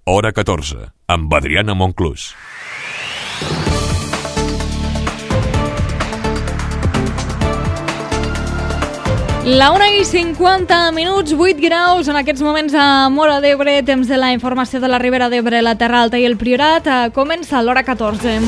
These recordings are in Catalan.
Hora 14, amb Adriana Monclús. La 1:50, 8 graus en aquests moments a Móra d'Ebre, temps de la informació de la Ribera d'Ebre, la Terra Alta i el Priorat. Comença l'hora 14.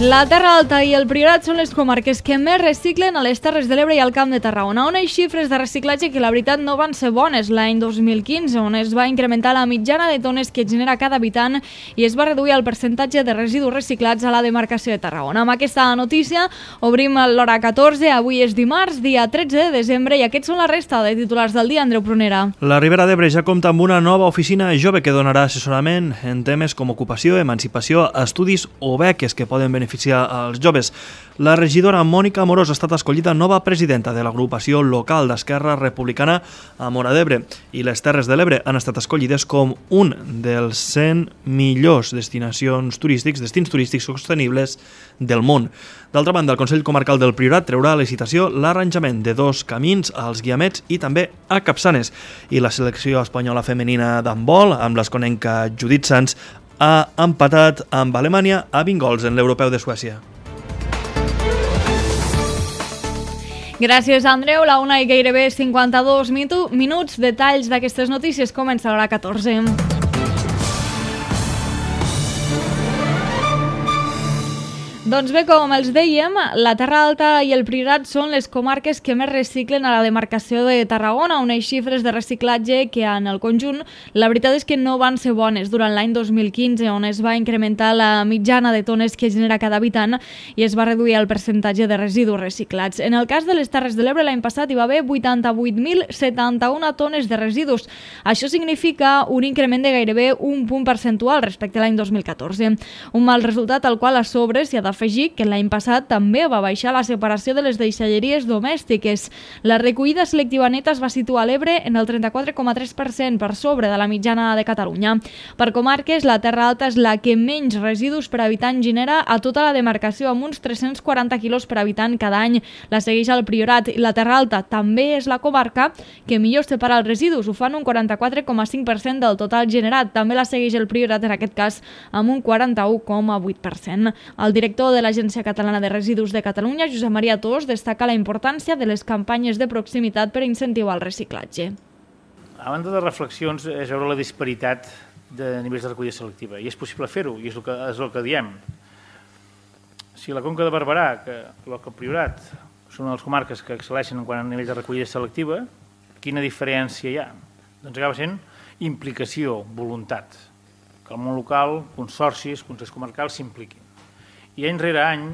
La Terra Alta i el Priorat són les comarques que més reciclen a les Terres de l'Ebre i al Camp de Tarragona, on hi ha xifres de reciclatge que la veritat no van ser bones l'any 2015, on es va incrementar la mitjana de tones que genera cada habitant i es va reduir el percentatge de residus reciclats a la demarcació de Tarragona. Amb aquesta notícia obrim l'hora 14, avui és dimarts, dia 13 de desembre, i aquests són la resta de titulars del dia. Andreu Prunera. La Ribera d'Ebre ja compta amb una nova oficina jove que donarà assessorament en temes com ocupació, emancipació, estudis o beques que poden beneficiar als joves. La regidora Mònica Amorós ha estat escollida nova presidenta de l'agrupació local d'Esquerra Republicana a Móra d'Ebre i les Terres de l'Ebre han estat escollides com un dels 100 millors destins turístics sostenibles del món. D'altra banda, el Consell Comarcal del Priorat treurà a licitació l'arranjament de 2 camins als Guiamets i també a Capçanes. I la selecció espanyola femenina d'handbol, amb l'esconenca Judit Sanz, ha empatat amb Alemanya a 20 gols en l'Europeu de Suècia. Gràcies, Andreu. La 1 i gairebé 52 minuts. Detalls d'aquestes notícies. Comença l'hora 14. Doncs bé, com els dèiem, la Terra Alta i el Priorat són les comarques que més reciclen a la demarcació de Tarragona, on hi ha xifres de reciclatge que en el conjunt la veritat és que no van ser bones durant l'any 2015, on es va incrementar la mitjana de tones que genera cada habitant i es va reduir el percentatge de residus reciclats. En el cas de les Terres de l'Ebre, l'any passat hi va haver 88.071 tones de residus. Això significa un increment de gairebé un punt percentual respecte a l'any 2014. Un mal resultat al qual a sobre s'hi ha d'afegir que l'any passat també va baixar la separació de les deixalleries domèstiques. La recollida selectiva neta es va situar a l'Ebre en el 34,3% per sobre de la mitjana de Catalunya. Per comarques, la Terra Alta és la que menys residus per habitant genera a tota la demarcació, amb uns 340 quilos per habitant cada any. La segueix el Priorat i la Terra Alta també és la comarca que millor separa els residus, ho fan un 44,5% del total generat. També la segueix el Priorat, en aquest cas, amb un 41,8%. El director de l'Agència Catalana de Residus de Catalunya, Josep Maria Tos, destaca la importància de les campanyes de proximitat per incentivar el reciclatge. A banda de reflexions, és veure la disparitat de nivells de recollida selectiva, i és possible fer-ho, i és el que diem. Si la Conca de Barberà, que el Priorat, són una de les comarques que excel·leixen en quant a nivells de recollida selectiva, quina diferència hi ha? Doncs acaba sent implicació, voluntat, que el món local, consorcis, consells comarcals s'impliquin. I any rere any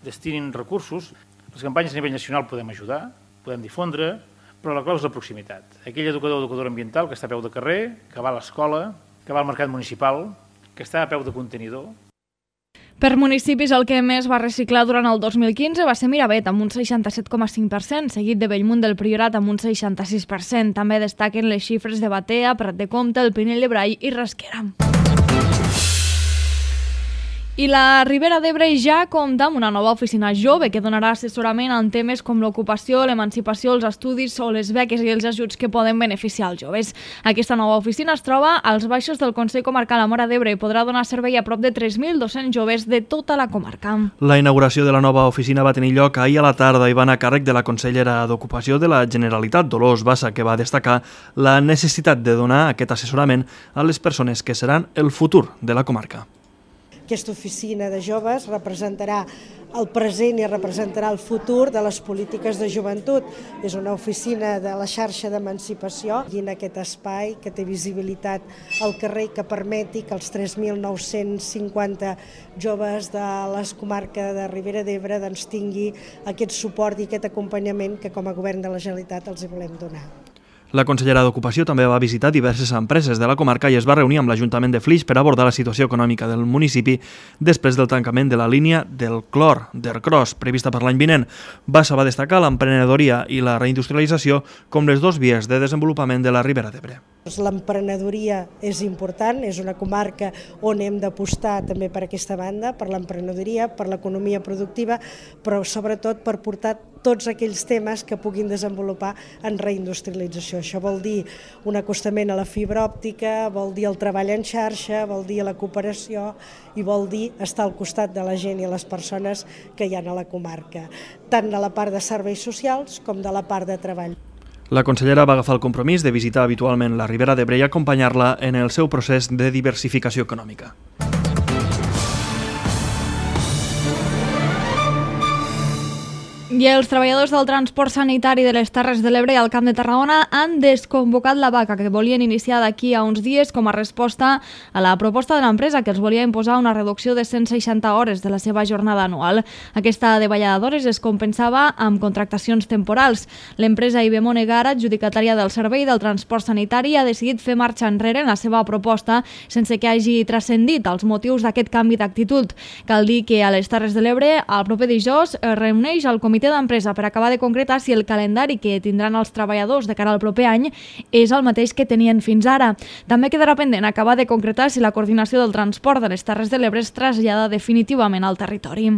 destinin recursos. Les campanyes a nivell nacional podem ajudar, podem difondre, però la clau és la proximitat. Aquell educador o educadora ambiental que està a peu de carrer, que va a l'escola, que va al mercat municipal, que està a peu de contenidor. Per municipis, el que més va reciclar durant el 2015 va ser Miravet, amb un 67,5%, seguit de Bellmunt del Priorat, amb un 66%. També destaquen les xifres de Batea, Prat de Comte, el Pinell de Brai i Rasquera. I la Ribera d'Ebre ja compta amb una nova oficina jove que donarà assessorament en temes com l'ocupació, l'emancipació, els estudis o les beques i els ajuts que poden beneficiar els joves. Aquesta nova oficina es troba als baixos del Consell Comarcal a Móra d'Ebre i podrà donar servei a prop de 3.200 joves de tota la comarca. La inauguració de la nova oficina va tenir lloc ahir a la tarda i va anar a càrrec de la consellera d'Ocupació de la Generalitat, Dolors Bassa, que va destacar la necessitat de donar aquest assessorament a les persones que seran el futur de la comarca. Aquesta oficina de joves representarà el present i representarà el futur de les polítiques de joventut. És una oficina de la xarxa d'emancipació i en aquest espai que té visibilitat al carrer i que permeti que els 3.950 joves de les comarques de Ribera d'Ebre tingui aquest suport i aquest acompanyament que com a govern de la Generalitat els hi volem donar. La consellera d'Ocupació també va visitar diverses empreses de la comarca i es va reunir amb l'Ajuntament de Flix per abordar la situació econòmica del municipi després del tancament de la línia del clor, d'Ercros, prevista per l'any vinent. Bassa va destacar l'emprenedoria i la reindustrialització com les dues vies de desenvolupament de la Ribera d'Ebre. L'emprenedoria és important, és una comarca on hem d'apostar també per aquesta banda, per l'emprenedoria, per l'economia productiva, però sobretot per portar tots aquells temes que puguin desenvolupar en reindustrialització. Això vol dir un acostament a la fibra òptica, vol dir el treball en xarxa, vol dir la cooperació i vol dir estar al costat de la gent i les persones que hi ha a la comarca, tant de la part de serveis socials com de la part de treball. La consellera va agafar el compromís de visitar habitualment la Ribera d'Ebre i acompanyar-la en el seu procés de diversificació econòmica. I els treballadors del transport sanitari de les Terres de l'Ebre i al Camp de Tarragona han desconvocat la vaga que volien iniciar d'aquí a uns dies com a resposta a la proposta de l'empresa que els volia imposar una reducció de 160 hores de la seva jornada anual. Aquesta davallada d'hores es compensava amb contractacions temporals. L'empresa Ibemone Gara, adjudicatària del servei del transport sanitari, ha decidit fer marxa enrere en la seva proposta sense que hagi transcendit els motius d'aquest canvi d'actitud. Cal dir que a les Terres de l'Ebre el proper dijous es reuneix el comitè d'empresa per acabar de concretar si el calendari que tindran els treballadors de cara al proper any és el mateix que tenien fins ara. També quedarà pendent acabar de concretar si la coordinació del transport de les Terres de l'Ebre es trasllada definitivament al territori.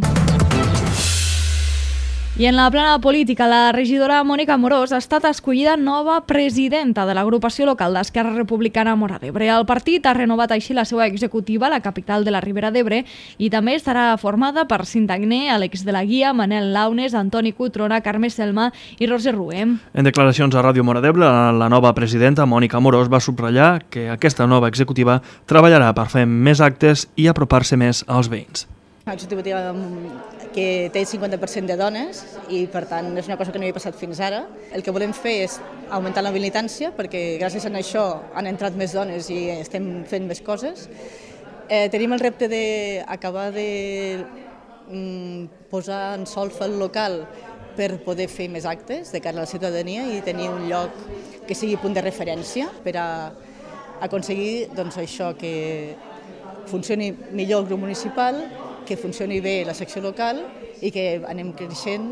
I en la plana política, la regidora Mònica Amorós ha estat escollida nova presidenta de l'agrupació local d'Esquerra Republicana Móra d'Ebre. El partit ha renovat així la seva executiva a la capital de la Ribera d'Ebre i també estarà formada per Cinta Agné, Àlex de la Guia, Manel Launes, Antoni Cutrona, Carme Selma i Roser Ruem. En declaracions a Ràdio Móra d'Ebre, la nova presidenta Mònica Amorós va subratllar que aquesta nova executiva treballarà per fer més actes i apropar-se més als veïns. Una executiva que té el 50% de dones i per tant és una cosa que no havia passat fins ara. El que volem fer és augmentar la militància perquè gràcies a això han entrat més dones i estem fent més coses. Tenim el repte d'acabar de posar en solfa el local per poder fer més actes de cara a la ciutadania i tenir un lloc que sigui punt de referència per a aconseguir això, que funcioni millor el grup municipal, que funcioni bé la secció local i que anem creixent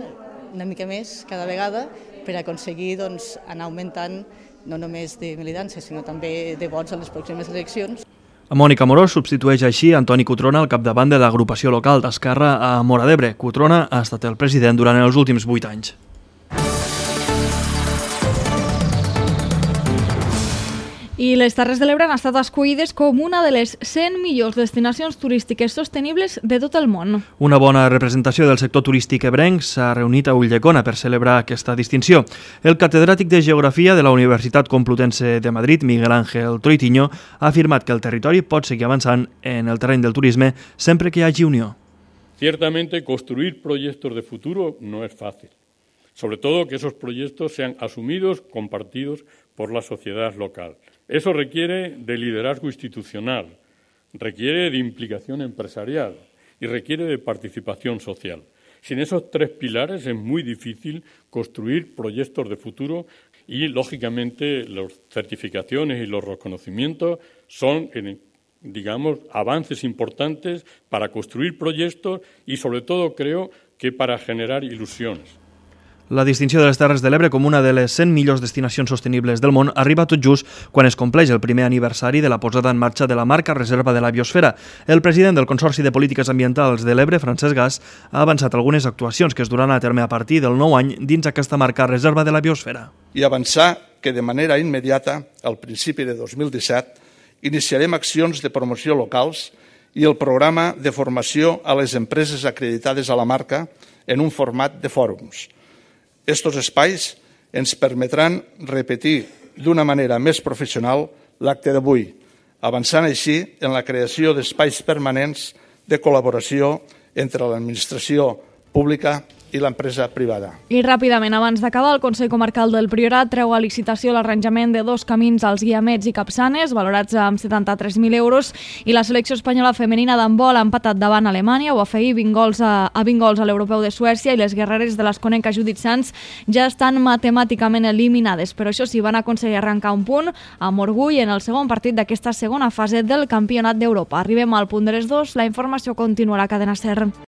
una mica més cada vegada per aconseguir anar augmentant no només de militància, sinó també de vots a les pròximes eleccions. Mònica Amorós substitueix així Antoni Cutrona al capdavant de l'agrupació local d'Esquerra a Móra d'Ebre. Cutrona ha estat el president durant els últims 8 anys. I les Terres de l'Ebre han estat escollides com una de les 100 millors destinacions turístiques sostenibles de tot el món. Una bona representació del sector turístic ebrenc s'ha reunit a Ulldecona per celebrar aquesta distinció. El catedràtic de Geografia de la Universitat Complutense de Madrid, Miguel Ángel Troitiño, ha afirmat que el territori pot seguir avançant en el terreny del turisme sempre que hi hagi unió. Ciertamente, construir proyectos de futuro no es fácil. Sobre todo que esos proyectos sean asumidos, compartidos por la sociedad local. Eso requiere de liderazgo institucional, requiere de implicación empresarial y requiere de participación social. Sin esos 3 pilares es muy difícil construir proyectos de futuro y, lógicamente, las certificaciones y los reconocimientos son, avances importantes para construir proyectos y, sobre todo, creo que para generar ilusiones. La distinció de les Terres de l'Ebre com una de les 100 millors destinacions sostenibles del món arriba tot just quan es compleix el primer aniversari de la posada en marxa de la marca Reserva de la Biosfera. El president del Consorci de Polítiques Ambientals de l'Ebre, Francesc Gas, ha avançat algunes actuacions que es duran a terme a partir del nou any dins aquesta marca Reserva de la Biosfera. I avançar que de manera immediata, al principi de 2017, iniciarem accions de promoció locals i el programa de formació a les empreses acreditades a la marca en un format de fòrums. Estos espais ens permetran repetir d'una manera més professional l'acte d'avui, avançant així en la creació d'espais permanents de col·laboració entre l'administració pública i l'empresa privada. I ràpidament, abans d'acabar, el Consell Comarcal del Priorat treu a licitació l'arranjament de 2 camins als Guiamets i Capçanes, valorats amb 73.000 euros, i la selecció espanyola femenina d'handbol ha empatat davant Alemanya, ho va fer 20 gols a l'Europeu de Suècia, i les guerreres de l'Esconenca Judit Sans ja estan matemàticament eliminades, però això sí, van aconseguir arrencar un punt amb orgull en el segon partit d'aquesta segona fase del Campionat d'Europa. Arribem al punt de les 2, la informació continua a la cadena SER.